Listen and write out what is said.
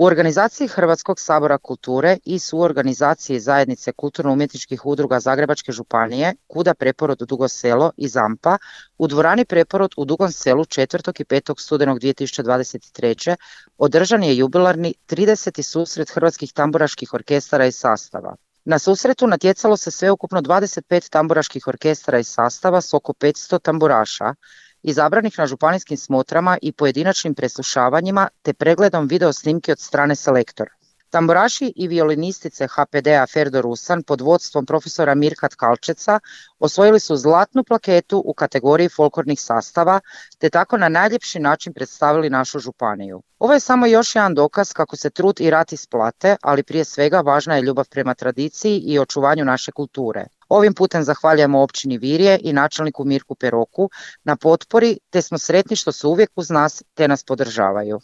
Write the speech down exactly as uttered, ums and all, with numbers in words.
U organizaciji Hrvatskog sabora kulture i suorganizaciji zajednice kulturno-umjetničkih udruga Zagrebačke županije, Kuda Preporod Dugo Selo i Zampa u dvorani Preporod u Dugom Selu četvrtog i petog studenog dvije tisuće dvadeset treće. održan je jubilarni trideseti susret hrvatskih tamburaških orkestara i sastava. Na susretu natjecalo se sveukupno dvadeset pet tamburaških orkestara i sastava s oko petsto tamburaša, izabranih na županijskim smotrama i pojedinačnim preslušavanjima te pregledom video snimke od strane selektora. Tamburaši i violinistice ha pe de-a Ferdo Rusan pod vodstvom profesora Mirka Tkalčeca osvojili su zlatnu plaketu u kategoriji folklornih sastava te tako na najljepši način predstavili našu županiju. Ovo je samo još jedan dokaz kako se trud i rad isplate, ali prije svega važna je ljubav prema tradiciji i očuvanju naše kulture. Ovim putem zahvaljujemo općini Virje i načelniku Mirku Peroku na potpori te smo sretni što su uvijek uz nas te nas podržavaju.